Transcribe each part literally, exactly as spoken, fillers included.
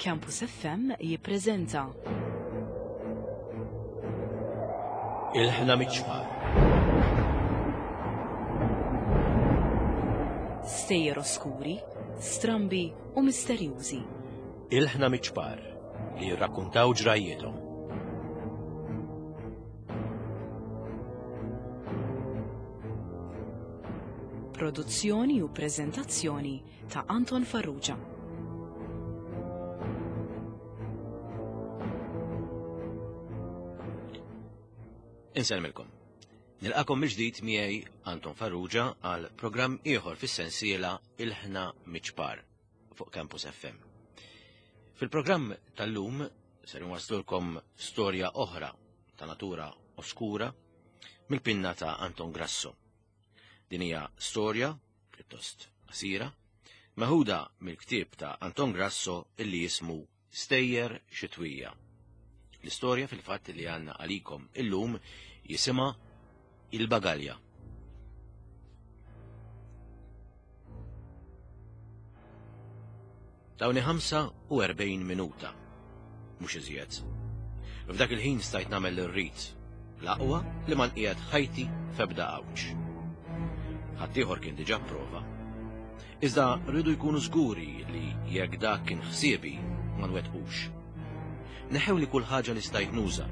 Campus F M jippreżenta Ilħna Miċ-Ċpar. Stejjer oskuri, strambi u misterjużi. Ilħna Miċ-Ċpar li jirrakkuntaw ġrajjithom. Produzzjoni u preżentazzjoni ta' Anton Farrugia. Insellmilkom. Nilqakom mill-ġdid miegħi Anton Farrugia għal programm ieħor fis-sensiela Ilħna Miċ-Ċpar fuq Campus F M. Fil-programm tal-lum ser nwaslulkom storja oħra ta' natura oskura mill-pinna ta' Anton Grasso. Din hija storja pjuttost qasira meħuda mill-ktieb ta' Anton Grasso illi jismu Stejjer Xitwija. L-istorja fil-fatt li għandna għalikom illum jisimha Il-Bagalja. Tawni ħamsa u erbgħin minuta, mhux iżjed. F'dak il-ħin stajt nagħmel ir-rit, l-aqwa li ma nqiegħed ħajti f'ebda għawġ. Ħaddieħor kien diġà prova. Iżda rridu jkunu żguri li jekk dak kien ħsiebi ma nwettqux. Neħew li kull ħaġa li stajt nuża.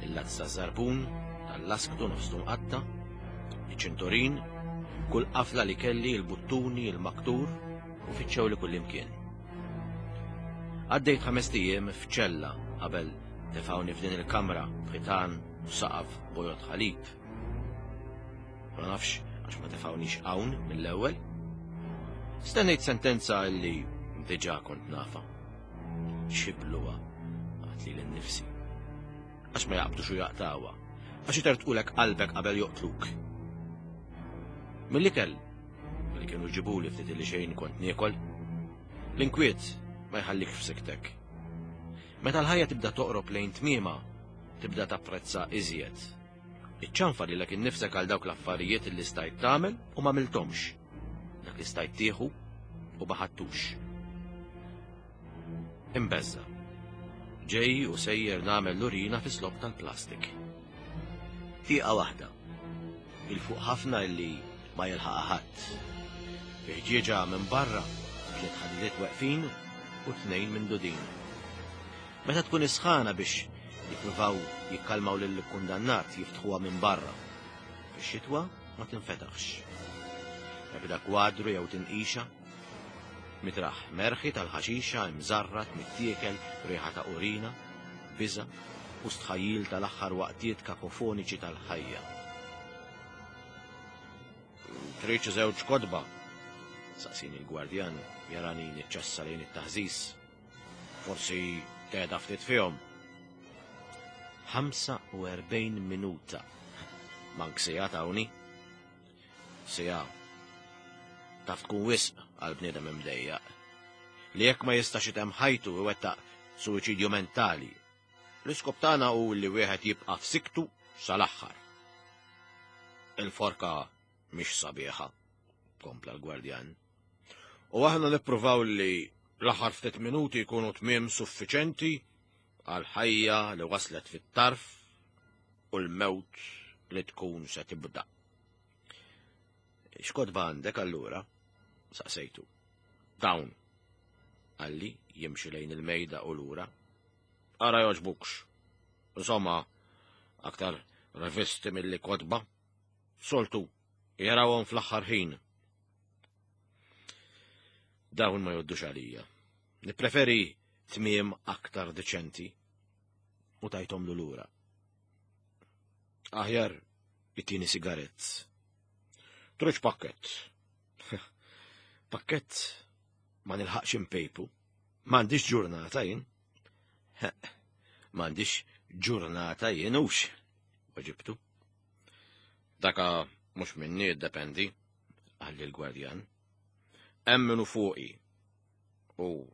Il-lazz taż-żarbun, tal-lasktu nofstu mqatta, iċ-ċintorin, kull qafla li kelli, il-buttuni, il-maktur, u fittxew li kull imkien. Għaddejt ħames ijiem f'ċella qabel tefgħuni f'din il-kamra b'ħitan u saqaf bojod ħalib. Ma nafx għax ma tefgħunix hawn mill-ewwel. Stennejt sentenza li diġà kont nafa. Xibluha għat li l-nifsi. Għax ma jaqbdux u jaqtawha. Għax itertqulek qalbek qabel joqtluk. Mill-ikel li kienu ġibuli ftit li xejn kont niekol, l-inkwiet ma jħallikx f'siktek. Meta l-ħajja tibda toqrob lejn tmiema, tibda tapprezza iżjed. Iċċanfa lilek innifsek għal dawk l-affarijiet li stajt tagħmel u ma għamilthomx. Dak li stajt tieħu u ma ħadtux. Imbeżza. Ġej u sejjer nagħmel l-urina fi slob tal-plastik. Tieqa waħda. Il-fuq ħafna illi ma jilħaqha ħadd. Ħġieġa minn barra, tliet ħadidiet weqfin u tnejn minn dudin. Meta tkun isħana biex jippruvaw jikkalmaw lill-kundannat jiftħuha minn barra. Fix-xitwa ma tinfetaħx. Ebda kwadru jew tinqixa. Mitraħ merħi tal-ħaxixa imżarrat mittiekel riħa ta' urina, biża' u stħajjil tal-aħħar waqtiet kakofoniċi tal-ħajja. Trid xi żewġ kotba? Saqsini l-gwardjan jarani niċċassa lejn it-taħżiż. Forsi tgħedha ftit fihom. Ħamsa u erbgħin minuta. Mank sija tawni. Sija. Taf tkun wisq għal bniedem imdejjaq. Li jekk ma jistax item ħajtu iwettaq suwiċidju mentali. L-iskop tagħna hu li wieħed jibqa' f'siktu sal-aħħar. Il-forka mhix sabiħa, kompla l-gwardjan. U aħna nippruvaw li l-aħħar ftit minuti jkunu tmiem suffiċenti għal ħajja li waslet fit-tarf u l-mewt li tkun se tibda. X'kotba għandek allura? Saqsejtu. Dawn. Qalli jimxi lejn il-mejda u lura. Ara joġbukx. Insomma, aktar revisti milli kotba. Soltu, jarawhom fl-aħħar ħin. Dawn ma joddux għalija. Nippreferi tmiem aktar deċenti u tajthom l lura. Aħjar it-tieni sigarett. Truċ pakket. Pakket ma nilħaqx impejpu. M'għandix ġurnata jien. M'għandix ġurnata jien hux, weġibtu. Daka mhux minni jiddependi, qalli l-gwardjan. Hemm minnu fuqi. U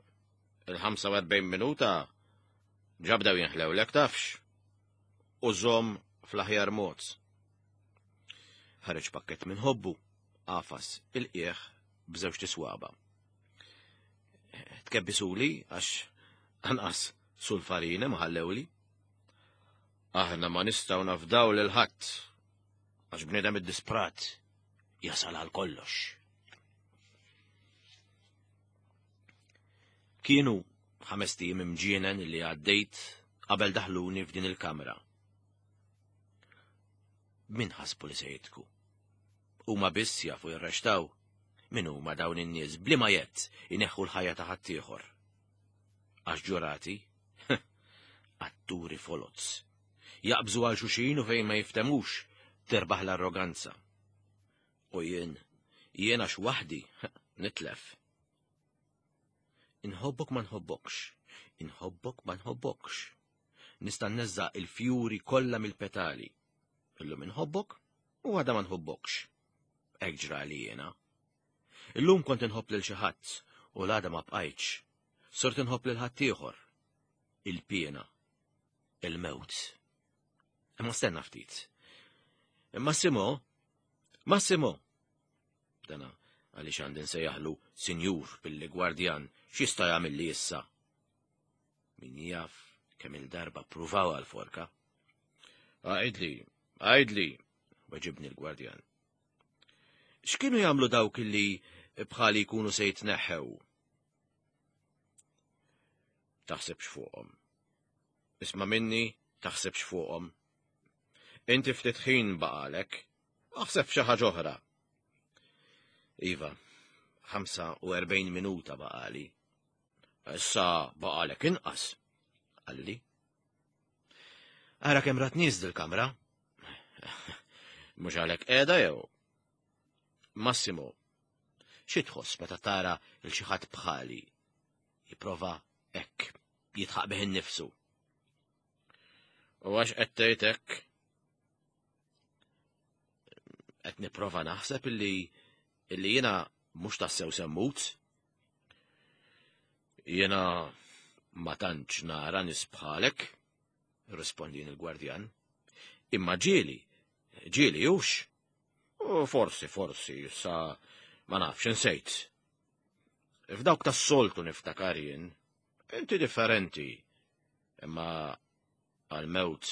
il-ħamsa u erbgħin minuta ġabdew jinħlewlek tafx. U żomm fl-aħjar mod. Ħareġ pakket minn ħobbu, qafas il-qiegħ b'żewġ tiswaba. Tkebbisuli għax Anqas sulfarina ma ħallewli. Aħna ma nistgħu nafdaw lil ħadd għax bniedem iddisprat jasal għal kollox. Kienu ħamest ijiem imġienen li għaddejt qabel daħluni f'din il-kamra. Min ħasbu li se jitku? Huma biss jafu jirrextaw. Min huma dawn in-nies bliema jett ineħħu l-ħajja ta' ħaddieħor. Għax ġurati, atturi foloz. Jaqbżu għal xuxin u fejn ma jiftemux terbaħ l-arroganza. U jien, jien għax waħdi, nitlef. Inħobbok ma nħobbokx, inħobbok ma nħobbokx. Nista' nneżża' il-fjuri kollha mill-petali. Illum inħobbok u għada ma nħobbokx. Hekk ġrali jiena. Illum kont inħobb lil xi ħadd u l-għada ma bqajtx. Sort inħobb lil ħaddieħor. Il-piena. Il-mewt. Imma stenna ftit. Massimo, Massimo. Dana għaliex għandi nsejjaħlu sinjur billi gwardjan x'jista' jagħmilli issa. Min jaf kemm il-darba ppruvaw għal-forka. Għajdli, għajdli, weġibni l-gwardjan. X'kienu jagħmlu dawk illi bħali jkunu se jitneħħew? Taħsibx fuqhom. Isma' minni, taħsibx fuqhom. Inti ftit ħin baqalek, aħseb xi ħaġa oħra. Iva, ħamsa u erbgħin minuta baqali. Issa baqalek inqas, qalli. Ara kemm rat nies dil-kamra. Mhux għalhekk qiegħda jew? Massimo, xi tħoss meta tara lil xi ħadd bħali jipprova hekk jitħaq bih innifsu? U għax qed tgħid hekk? Qed nipprova naħseb illi illi jiena mhux tassew semmut. Jiena ma tantx nara nies bħalek, rispondin il-gwardjan. Imma ġieli, ġieli hux. U forsi, forsi, sa ma nafx insejt. F'dawk tas-soltu niftakar jien, inti differenti. Imma għal-mewt,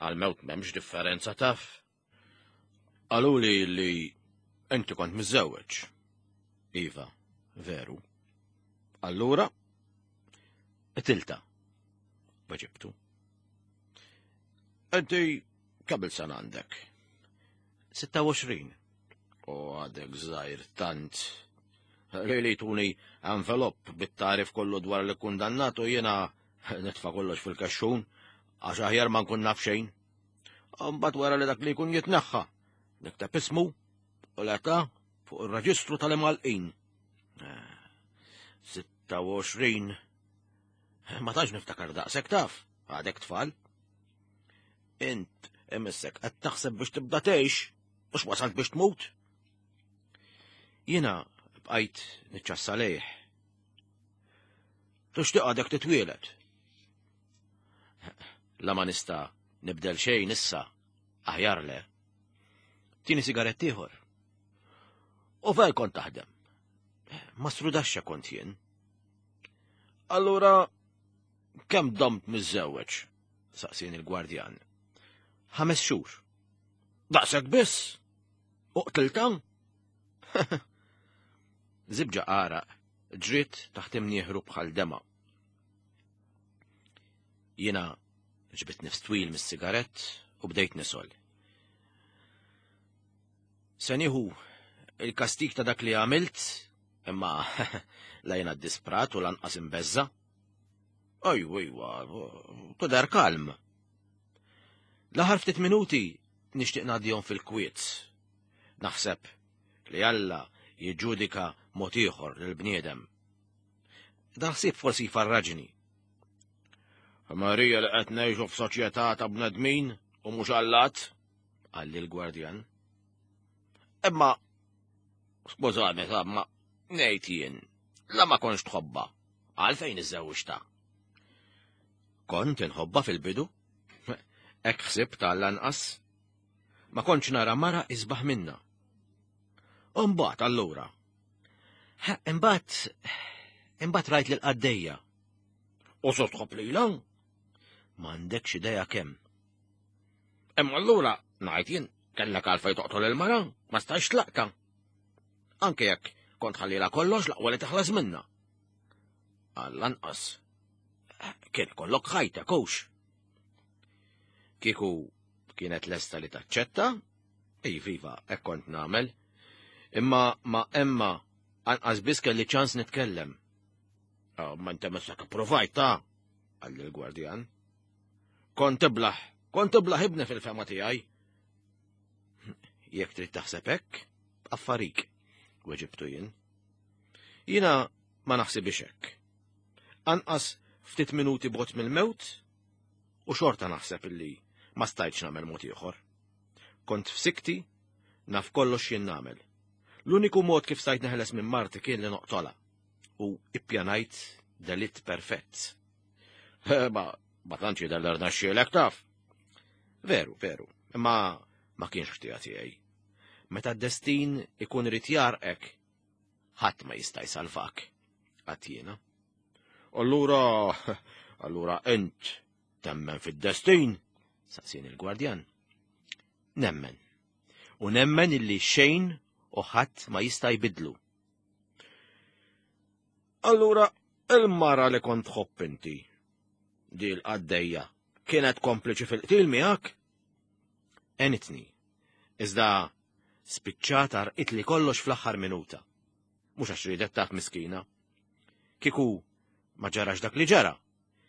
għal-mewt m'hemmx differenza taf. Qaluli li inti kont miżżewweġ. Iva, veru. Allura, tilta, weġibtu. Inti kemm il-sena għandek? Sitta u għoxrin. U għadek żgħir tant. Li li tuni envelop bit-tarif kollu dwar li kundannat u jiena nitfa' kollox fil-kaxxun għax aħjar ma nkun naf xejn. Mbagħad wara li dak li jkun jitneħħa, nikteb ismu u l-età fuq ir-reġistru tal-imgħallqin. Sitta u għoxrin. Ma tantx niftakar daqshekk taf, għadek tfal. Int imissek qed taħseb biex tibda tgħix, mhux wasalt biex tmut. Jiena bqajt niċċassa lejh. Tixtieq għadek titwielet. La ma nista' nibdel xejn issa, aħjar le. Tieni sigarett ieħor. U fejn kont taħdem? Ma strudaxxa kont jien. Allura, kemm domt miżżewweġ? Saqsien il-gwardjan. Ħames xhur. Daqshekk biss? U qtilta? Zibġa għaraq, ġriet taħt imnieħru bħal dema. Jiena ġbit nifs twil mis-sigarett u bdejt nisol. Se nieħu il-kastik ta' dak li għamilt, imma la jiena ddisprat u lanqas imbeżza. Ejwa, ejwa, tidher kalm. L-aħħar ftit minuti nixtieq ngħaddihom fil-kwiet. Naħseb li Alla jiġġudika mod ieħor lill-bniedem. Dan ħsieb forsi jfarraġni. Marija li qed ngħixu f'soċjetà ta' bnedmin u mhux allat, qalli l-gwardjan. Imma, skużani, ma ngħid jien, la ma kontx tħobbha, għalfejn iżżewġtha? Kont inħobbha fil-bidu, hekk ħsibt għall-anqas. Ma kontx nara mara isbaħ minna. U mbagħad allura. Imbagħad, imbagħad rajt lil qaddejja. U so tħobb lilha? M'għandekx idea kemm. Imma allura ngħid jien kellek għalfejn toqtol il-mara, ma stajx tlaqta. Anke jekk kont ħallila kollox l-aqwa li teħles minna. Għall-anqas. Kien kollok ħajta, kux. Kieku kienet lesta li taċċetta, iva, hekk kont nagħmel. Imma ma Emma anqas biss kelli ċans nitkellem. Oh, ma inta messek provajt ta' qalli l-gwardjan. Kont iblaħ, kont iblaħ ibni fil-fema tiegħi. Jekk trid taħseb hekk, affarik, weġibtu jien. Jiena ma naħsibix hekk. Anqas ftit minuti bot mill-mewt u xorta naħseb illi ma stajtx nagħmel mod ieħor. Kont f'sikti, naf kollox jien nagħmel. L-uniku mod kif stajt neħles minn marti kien li noqtola u ippjanajt delitt perfett. Ma, ma tantx jidher li rnexxielek taf. Veru, veru, imma ma kienx ħtija tiegħi. Meta d-destin ikun irid jarqek, ħadd ma jista' jsalvak, għedt jiena. Allura, allura int temmen fid-destin? Saqsien il-gwardjan. Nemmen. U nemmen illi xejn u ħadd ma jista' jbidlu. Allura, il-mara li kont tħobb inti, di l-qaddejja, kienet kompliċi fil-qtil miegħek? Għenitni, iżda spiċċat li kollox fl-aħħar minuta. Mhux għax ridet taf miskina. Kieku ma ġarax dak li ġara.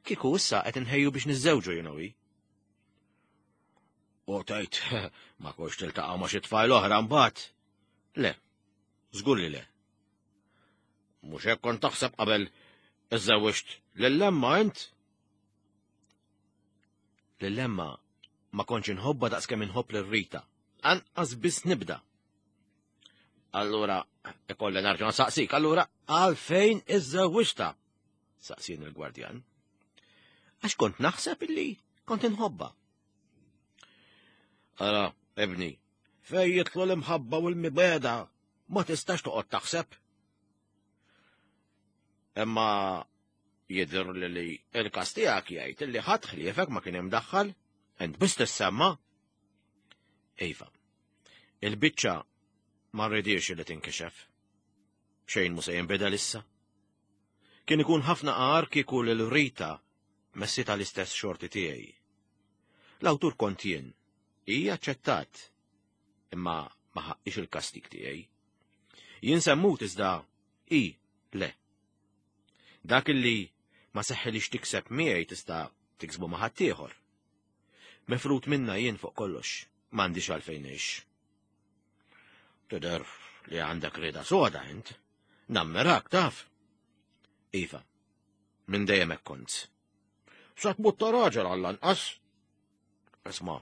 Kieku issa qed inħejju biex niżżewġu you know. U tgħid ma kontx tiltaqa' ma' xi tfajl oħra mbagħad. Le, żgur li le. Mhux hekk kont taħseb qabel iżżewwiġt lil Emma int? Lil Emma ma kontx inħobbha daqskemm inħobb lil Rita. Anqas biss nibda. Allura, ikolli nerġa' nsaqsik, allura għalfejn iżżewwiġtha? Saqsien il-gwardjan. Għax kont naħseb illi kont inħobbha. Ara, ebni, fej jidħlu l-imħabba u l-mibegħda, ma tistax toqgħod taħseb. Imma jidher li li il-kas tiegħek jgħid illi ħadd ħliefek ma kien imdaħħal, int biss tissemma. Iva, il-biċċa ma rridix li tinkixef. Xejn mu se jinbidel issa. Kien ikun ħafna qar kieku lil Rita messita l-istess xorti tiegħi. L-awtur kont jien, hija aċċettat, imma ma ħaqqix il-kastik tiegħi. Jien semmut iżda i le. Dak illi ma seħħilix tikseb miegħi tista' tiksbu ma' ħaddieħor. Mefrut minna jien fuq kollox, m'għandix għalfejn ngħix. Tidher li għandek rieda soda int. Nammirak taf. Iva, minn dejjem hekk kont. Sa tmut ta' raġel għall-anqas. Isma',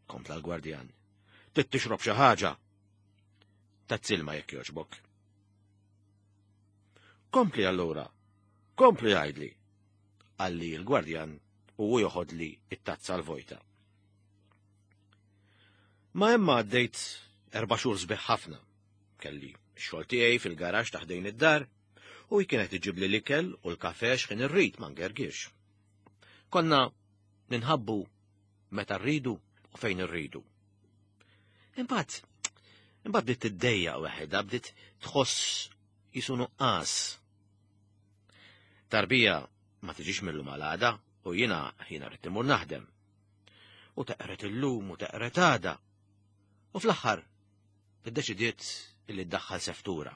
kompla l-gwardjan, trid tixrob xi ħaġa. Tazzilma jekk jogħġbok. Kompli allura, kompli għidli, qalli l-gwardjan u hu joħodli it-tazza l-vojta. Ma Emma għaddejt erba' xhur sbieħ ħafna. Kelli x-xogħol tiegħi fil-garaxx ta' ħdejn id-dar u hi kienet iġibli l-ikel u l-kafe x'ħin irrid ma ngergirx. Konna ninħabbu meta rridu u fejn irridu. Imbagħad, imbagħad bdiet tiddejjaq waħedha, bdiet tħoss jisu nuqqas. Tarbija ma tiġix mill-lum għal għada u jiena jiena rrid imur naħdem. U teqret illum u teqret għada. U fl-aħħar iddeċidiet illi ddaħħal seftura.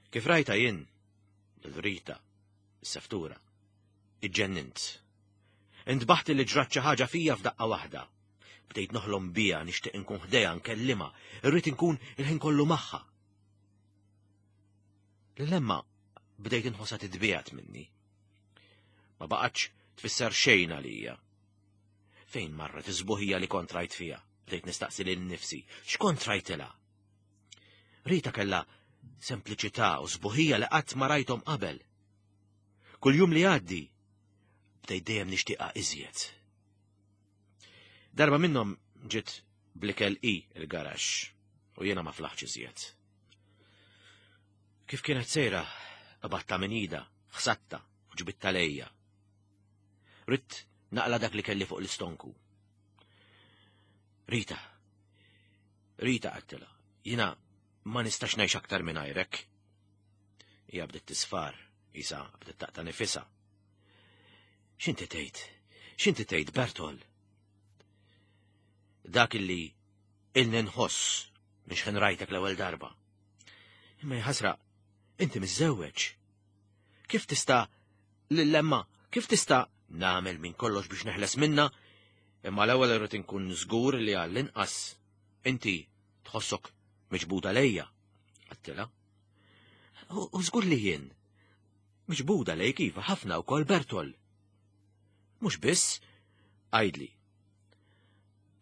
Kif rajta jien, il-Rita, s-seftura, iġġennint. Intbaħt li ġrat xi ħaġa fija f'daqqa waħda. Bdejt noħlom bija, nixtieq inkun ħdejha nkellimha, irrid inkun il-ħin kollu magħha. Lil Emma bdejt inħossha titbiegħed minni. Ma baqgħetx tfisser xejn għalija. Fejn marret iż-żbuħija li kont rajt fija? Bdejt nistaqsi lil nifsi, x'kont rajtilha? Rita kellha sempliċità u sbuħija li qatt ma rajthom qabel. Kull jum li għaddi, bdejt dejjem nixtieqha iżjed. Darba minnhom ġiet bl-ikel i il-garaxx u jiena ma flaħtx iżjed. Kif kienet sejra, qbadtha minn idha, ħsadtha, Ġbidtha lejja. Ridt naqla' dak li kelli fuq l-istonku. Rita, Rita għedtilha, jiena ma nistax ngħix aktar mingħajrek. Hija bdiet tisfar, isa bdiet taqta' nifisha. X'inti tgħid? X'inti tgħid, Bertol? Dak illi ilni nħoss minn x'ħin rajtek l-ewwel darba. Imma jaħasra, inti miżżewweġ. Kif tista' lil Emma, kif tista' nagħmel minn kollox biex neħles minna, imma l-ewwel irrid inkun żgur li għall-inqas inti tħossok miġbuda lejja. Għedtilha. U żgur li jien. Miġbuda lejk iva ħafna wkoll Bertol. Mhux biss, għidli.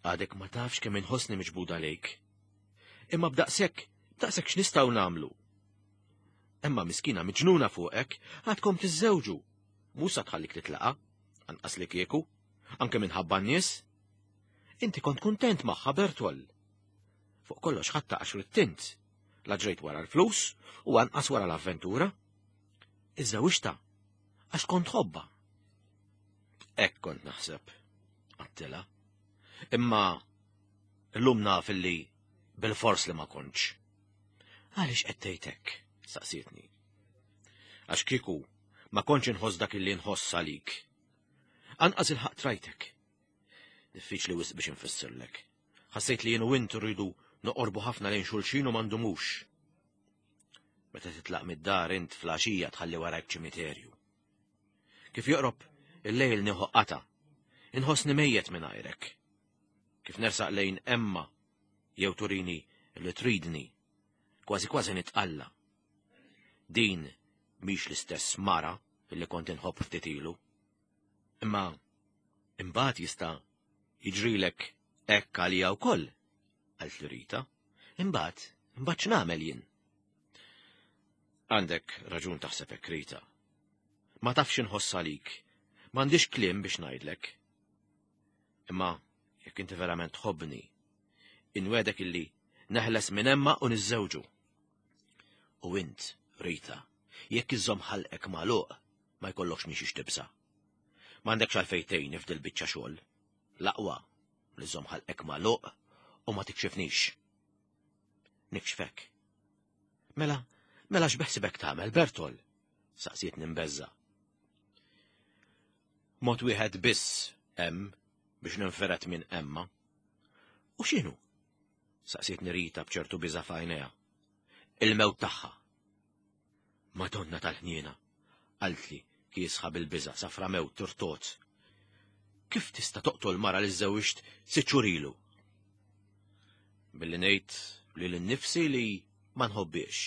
Għadek ma tafx kemm inħossni miġbuda lejk. Imma b'daqshekk, b'daqshekk x'nistgħu nagħmlu? Emma miskina miġnuna fuqek, għadkom tiżżewġu. Mhux sa tħallik titlaqa, anqas li kieku, anke minħabba n-nies. Inti kont kuntent magħha Bertol. Fuq kollox ħadtha għax ridt int. La ġrejt wara l-flus u anqas wara l-avventura. Iżżewwiġtha, għax kont tħobbha. Hekk kont naħseb, għedtilha. Imma llum naf illi bil-fors li ma kontx. Għaliex qed tgħid hekk? Saqsietni. Għax kieku ma kontx inħoss dak illi nħoss għalik. Anqas ilħaqt rajtek. Diffiċli wisq biex infissirlek. Ħassejt li jien u int rridu noqorbu ħafna lejn xulxin u ma ndumux. Meta titlaq mid-dar int filgħaxija tħalli warajk ċimiterju. Kif joqrob il-lejl nieħu qata, inħossni mejjet mingħajrek. Kif nersaq lejn Emma jew turini li tridni, kważi kważi nitqalla. Din mhix l-istess mara illi kont inħobb ftit ilu. Imma imbagħad jista' jiġrilek hekk għalija wkoll, qaltli Rita. Imbagħad, imbagħad x'nagħmel jien? Għandek raġun taħseb hekk Rita. Ma tafx inħoss għalik, m'għandix kliem biex ngħidlek. Imma jekk inti verament tħobbni, inwegħdek illi neħles minn Emma u niżżewġu. U int, Rita, jekk iżżomm ħalqek magħluq, ma jkollokx minn xiex tibża'. M'għandekx għalfejn tgħinni f'dil biċċa xogħol. L-aqwa li żżomm ħalqek magħluq u ma tikxifnix. Nikxfek. Mela, mela x'beħsibek tagħmel, Bertol? Saqsietni mbeżżgħa. Mod wieħed biss hemm biex ninfired minn Emma. U x'inhu? Saqsietni Rita b'ċertu biża' f'għajnejha. Il-mewt tagħha. Madonna tal-ħniena, qaltli kiesħa bil-biża' safra mewt turtot. Kif tista' toqtol mara li żżewwiġt sitt xhur ilu? Billi ngħid lili nnifsi li ma nħobbhiex.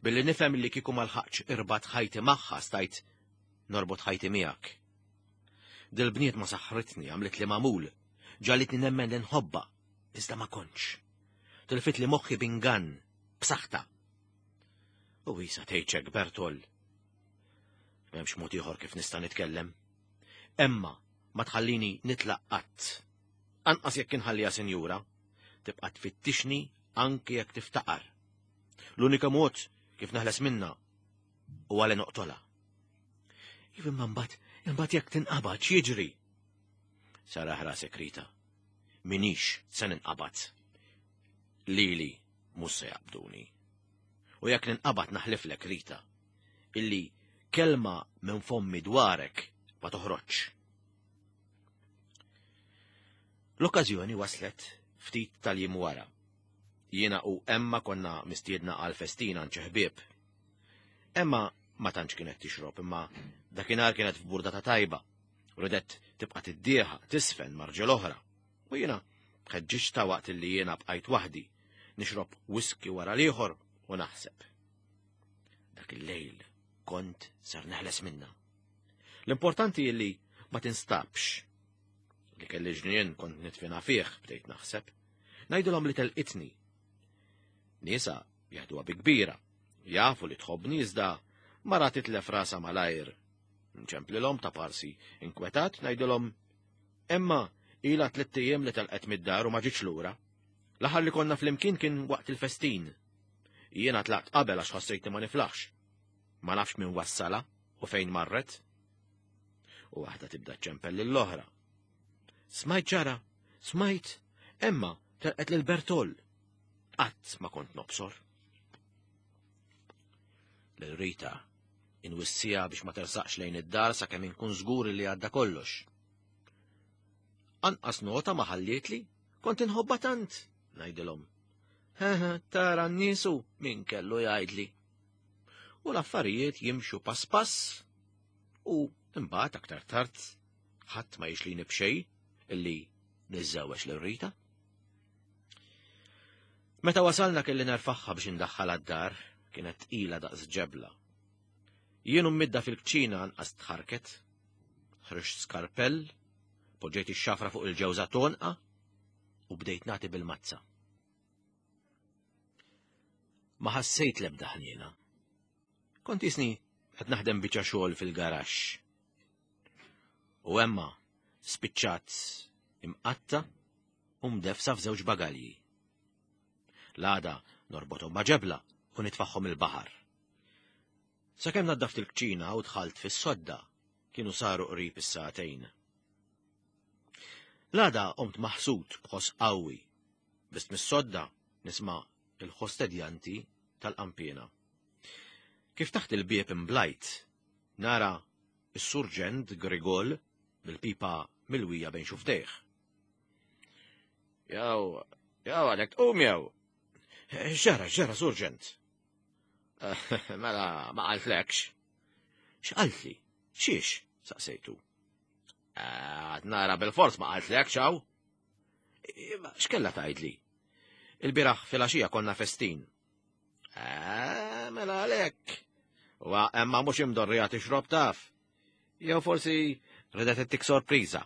Billi nifhem li kieku ma lħaqtx irbatt ħajti magħha stajt norbot ħajti miegħek. Dil-bniedma saħritni għamlitli magħmul, ġagħlitni nemmen li nħobbha, iżda ma kontx. Tilfitli moħħi b'ingann, b'saħta. U issa tgħidx Bertol. M'hemmx mod ieħor kif nista' nitkellem. Emma ma tħallini nitlaq qatt. Anqas jekk inħalliha sinjura, tibqa' tfittixni anke jekk tiftaqar. L-unika mod kif neħles minna huwa li noqtolha. Iva imma mbagħad, imbagħad jekk tinqabad x'jiġri? Serraħ rasek Rita. M'iniex se ninqabad. Lili mhux se jaqbduni. U jekk ninqabad naħliflek Rita, illi kelma minn fommi dwarek ma toħroġ. L-okkażjoni waslet ftit tal-jiem wara. Jiena u Emma konna mistiedna għal festina għand xi ħbieb. Emma ma tantx kienet tixrob, imma dakinhar kienet f'burdata tajba. Ridet tibqa' tiddieħa, tisfen ma' rġiel oħra. U jiena ħeġġiġtha waqt li jiena bqajt waħdi, nixrob whisky wara l-ieħor u naħseb. Dak il-lejl kont ser neħles minna. L-importanti li ma tinstabx. Li kelli ġnien kont nidfinha fih, bdejt naħseb. Ngħidilhom li telqitni. Nisa jeħduha bi kbira, jafu li tħobbni iżda mara titlef rasha malajr. Nċemplilhom ta' parsi inkwetat ngħidilhom Emma ilha tliet ijiem li telqet mid-dar u ma ġietx lura. L-aħħar li konna flimkien kien waqt il-festin. Jiena tlaqt qabel għax ħassejtni ma niflaħx. Ma nafx min wassalha u fejn marret. U waħda tibda ċempel lill-oħra. Smajt ġara, smajt, Emma telqet lil Bertol. Qatt ma kont nobsor. Lil Rita inwissija biex ma tersaqx lejn id-dar sakemm inkun żgur li għadda kollox. Anqas nota ma ħallietli, kont inħobba tant, ngħidilhom. Hehe, tara n-niesu min kellu jgħidli. U l-affarijiet jimxu pass pass u imbagħad aktar tard ħadd ma jixlini b'xejn illi niżżewweġ lil Rita. Meta wasalna kelli nerfaħħa biex indaħħal għad-dar, kienet tqila daqs ġebla. Jien midda fil-kċina anqas tħarket, ħriġt skarpell, poġġejt ix-xafra fuq il-ġewża tonqa u bdejt nagħti bil-mazza. Ma ħassejt l-ebda ħniena. Kont jisni qed naħdem biċċa xogħol fil-garaxx. U Emma spiċċat imqatta u mdefsa f'żewġ bagalji. L-għada norbothom ma' ġebla u nitfaħħom il-baħar. Sakemm naddaft il-kċina u dħalt fis-sodda, kienu saru qrib is-sagħtejn. L-għada qomt maħsud b'ħoss qawwi, biss mis-sodda nisma' il-ħostedjanti tal-qanpiena. Kif taħt il-bieb imblajt, nara is-surġent Grigol bil-pipa milwija bejn xuftejh. Jaw, jaw għalek tqum jew. X'ġara, x'ġara, surġent? Mela, ma qaltlekx. X'qaltli? Xiex? Saqsejtu. Għad nara bil-fors ma qaltlekx hawn. X'kella tgħidli? Il-bieraħ filgħaxija konna festin. Mela għalhekk. U emma mhux imdorrija tixrob taf. Jew forsi ridet ittik sorpriża.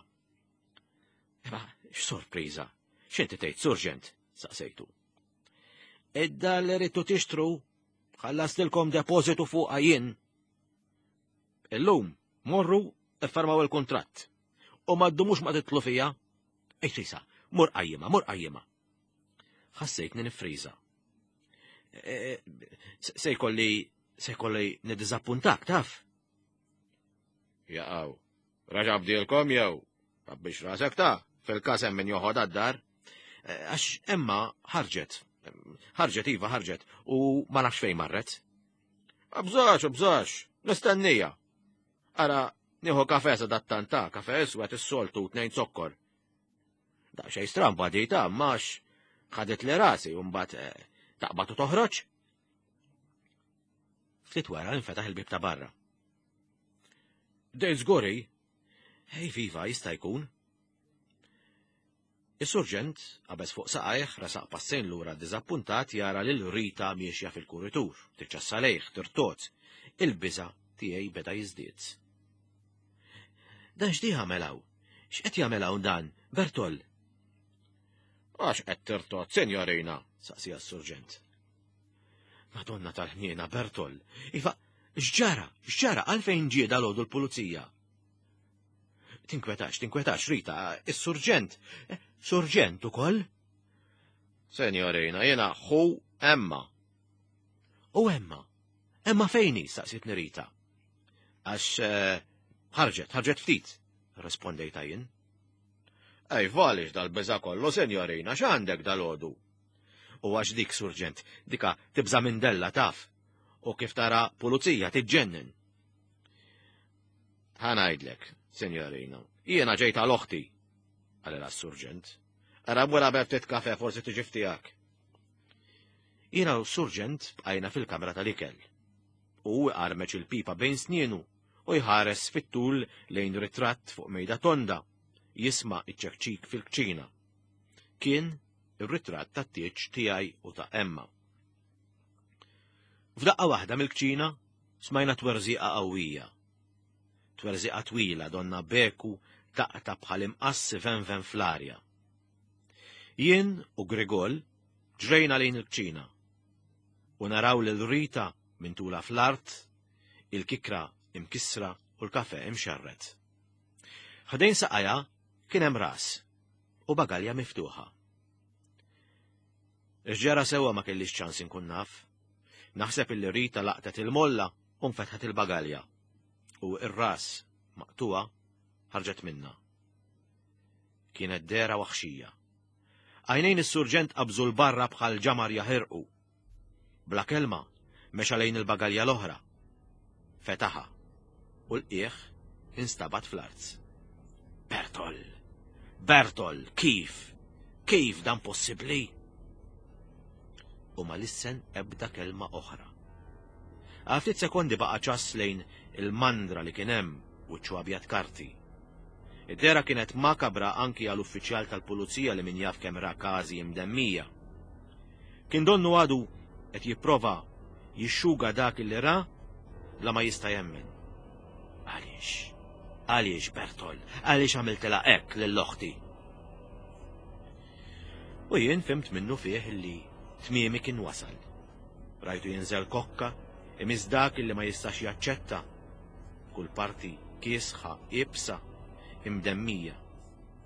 Imma x'sorpriża? X'inti tgħid, surġent? Saqsejtu. Id-dar li ridtu tixtru ħallastilkom depożitu fuqha jien. Illum morru iffermaw il-kuntratt. U ma ddumux ma titlu fija. Ej Risa, mur qajjima, mur qajjima. Ħassejtni nifriża. Se jkolli se jkolli niddiżappuntak, taf? Jaqaw, raġa bdielkom jew, biex rasek ta' fil-każ hemm min joħod għad-dar. Għax Emma ħarġet, ħarġet iva ħarġet u ma nafx fejn marret. Bżax, bżax, nistennija. Ara, nieħu kafe sa dattanta, kafe iswed is-soltu tnejn zokkor. Daqsxejn stramba di ta' max ħadet li rasi u mbagħad taqbad u toħroġ. Ftit wara infetaħ il-bieb ta' barra. Dejt żguri? Ej viva, jista' jkun. Is-surġent qabeż fuq saqajh resaq passejn lura diżappuntat jara lil Rita miexja fil-kuritur, tiċċassa lejh, tirtot. Il-biża' tiegħi beda jiżdied. Dan x'di jagħmel hawn? X'qed jagħmel hawn dan, Bertol? Għax qed tirtot, sinjorina, saqsija s-surġent. Madonna tal-ħniena, Bertol. Iva, x'ġara, x'ġara, għalfejn ġie dalgħodu l-pulizija? Tinkwetax, tinkwetax, Rita, is-surġent. Surġent ukoll? Senjorina, jiena ħu Emma. U Emma? Emma fejni, saqsitni Rita. Għax ħarġet, ħarġet ftit, rispondejta jien. Ej, valix dal-biża kollu, senjorina, x'għandek dal-għodu? U għax dik, surġent, dika tibża minn della taf. U kif tara pulizija tiġġennen. Ħa ngħidlek, senjorina, jiena ġejt għal oħti, qalilha s-surġent. Ara wara ftit kafe forsi tiġi ftijak. Jiena u s-surġent bqajna fil-kamra tal-ikel. U armeċ il-pipa bejn snienu u jħares fit-tul lejn ritratt fuq mejda tonda, jisma' iċ-ċekċik fil-kċina. Kien ir-ritratt tat-tieġ tiegħi u ta' Emma. F'daqqa waħda mill-kċina smajna twerżiqa qawwija. Twerżiqa twila donna beku taqta bħal imqass venven fl-arja. Jien u Grigol ġrejna lejn il-kċina u naraw lil Rita minn tula fl-art, il-kikra imkissra u l-kafe imxarret. Ħdejn saqajja kien hemm ras u bagalja miftuħa. Ix-ġara sewwa ma kellix ċans inkun naf. Naħseb illi Rita laqtet il-molla u nfetħet il-bagalja. U ir-ras maqtuwa ħarġet minna. Kienet dehra waħxija. Għajnejn is-surġent qabżu 'l barra bħal ġamar jaħirqu. Bla kelma, mexa lejn il-bagalja l-oħra. Fetaħa u l-qiegħ instabat fl-art. Bertol! Bertol, kif? Kif dan possibbli? U ma lissen ebda kelma oħra. Għal ftit sekondi baqa' ċass lejn il-mandra li kien hemm wiċċu abjad karti. Id-dehra kienet makabra anki għal uffiċjal tal-pulizija li min jaf kemm ra każi imdemmija. Kien donnu għadu qed jipprova jixxuga dak li ra bla ma jista' jemmen. Għaliex? Għaliex, Bertol? Għaliex għamiltilha hekk lil oħti? U jien fhimt minnu fih li tmiemi kien wasal. Rajtu jinżel kokka, imiss dak li ma jistax jaċċetta. Kull parti kiesħa, iebsa, imdemmija.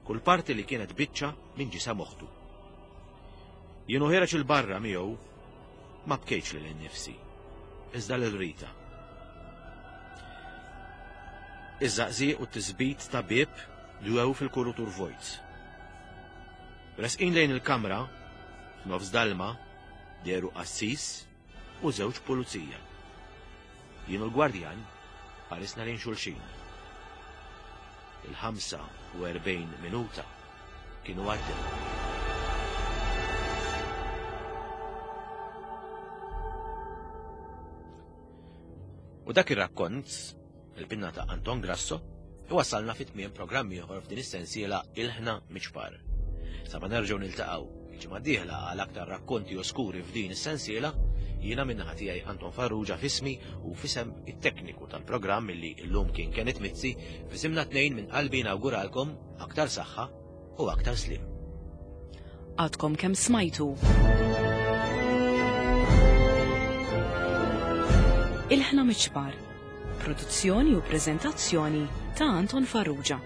Kull parti li kienet biċċa minn ġisem oħtu. Jien u ħiereġ 'il barra miegħu ma bkejtx lili nnifsi, iżda lil Rita. Iż-żaqżieq u t-tisbit ta' bieb dwew fil-kurutur vojt. Resqin lejn il-kamra, f'nofs dalma, dehru qassis u żewġ pulizija. Jien u l-gwardjan ħarisna lejn xulxin. Il-ħamsa u erbgħin minuta kienu għaddew. U dak ir-rakkont, il-pinna ta' Anton Grasso, iwassalna fi tmiem programm ieħor f'din is-sensiela Ilħna Miċpar. Sa ma nerġgħu niltaqgħu il-ġimgħa d-dieħla għal aktar rakkonti oskuri f'din is-sensiela, jiena min-naħa tiegħi Anton Farrugia f'ismi u f'isem it-tekniku tal-programm illi llum kien Kenneth Mizzi, f'isimna tnejn minn qalbi nawguralkom aktar saħħa u aktar sliem. Għadkom kemm smajtu Ilħna Miċpar, produzzjoni u preżentazzjoni ta' Anton Farrugia.